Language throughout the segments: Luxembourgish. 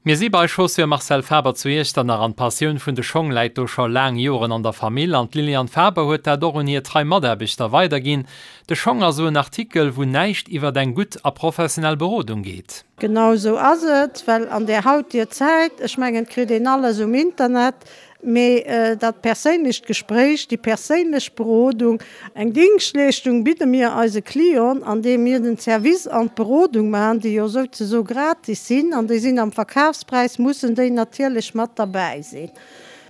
Mir si bei Chaussures Marcel Faber zu Iechternach an d'Passioun vun de Schong läit do scho laang Joren an der Famill an d'Liliane Faber huet dat och un hir trei Mataarbechter weiderginn. De Schong ass esou en Artikel, wou näischt iwwert eng gutt a professionell Berodung geet. Genau esou ass et, well an där hautier Zäit, ech mengen, et kritt een alles um Internet, Mee dat perséinlecht Gespréich, déi perséinlech Berodung, eng Dingschtleeschtung bidde mir eise Clienten, andeem mir den Service an d'Berodung maachen, déi jo souzesoe gratis sinn, an déi sinn am Verkafspräis, mussen déi natierlech mat derbäi sinn.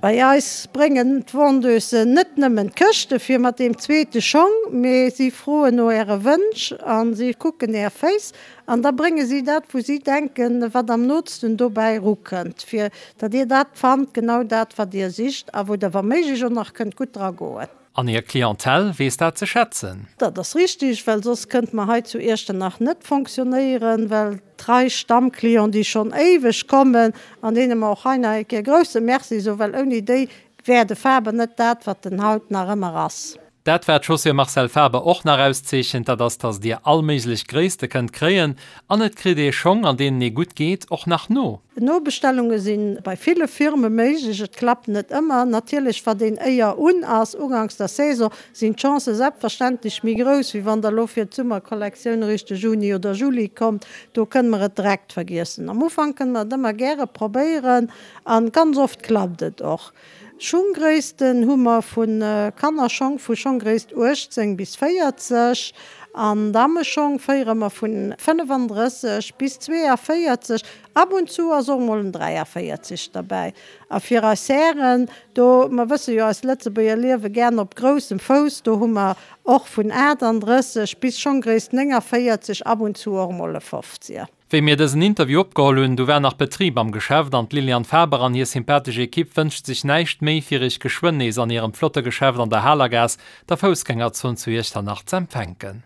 Bei eis bréngen d'Vendeusen net nëmmen d'Këschte fir mat deem zweete Schong, mee si froen no Äre Wënsch a si kucken Är Féiss An da brénge si dat, wou si denken, wat am nootsten dobäi erukënnt, fir datt Dir dat fannt, genau dat, wat Dir sicht a wou Der wa méiglech och nach kënnt gutt dra goen. An hir Clientèle weess dat ze schätzen. Dat ass richtig, well soss kënnte mer hei zu Iechternach net fonctionnéieren, well trei Stammclienten, déi schonn éiweg kommen an deene mer och hei nach eng Kéier e grouse Merci soen, well ouni déi wär de Faber net dat, wat en haut nach ëmmer ass. Dat wat d'Chaussure Marcel Faber och nach auszeechent, dat ass dass dir all méiglech Gréisste kënnt kréien an et kritt ee Schong an deenen ee gutt geet och nach no. Nobestellunge si bei ville Firme méiglech, et klappt net ëmmer. Natierlech wat een éier un ass, uganks der Saison, sinn d'Chancë selbstverständlech méi grouss, wéi wann der elo fir d'Summerkollektioun eréischt de Juni oder Juli kommt. Do kënne mer et direkt vergiessen. Am Ufank kënne mer et ëmmer gäre probéieren a ganz oft klappt et och. Schunggréissten hu mer vu Kannerschong vu Schonggréisst 18 bis 40 an Dammeschong féiere mer vun 35 bis 42. Ab und zu ass och mol en 43 derbäi. A fir eis Hären, do, mer wësse jo eis Lëtzebuerger liewe gären op groussem Fouss, do hu mer och vun 38 bis Schonggréisst 49, ab und zu och mol e 50. Wéi mir dësen Interview opgeholl hunn, du war nach Betrib am Geschäft an d'Liliane Faber an hir sympathesch Ekipp wënscht sech näischt méi fir iech geschwënn nees an hirem flotte Geschäft an der Halergaass, der Foussgängerzon zu Iechternach z'empfänken.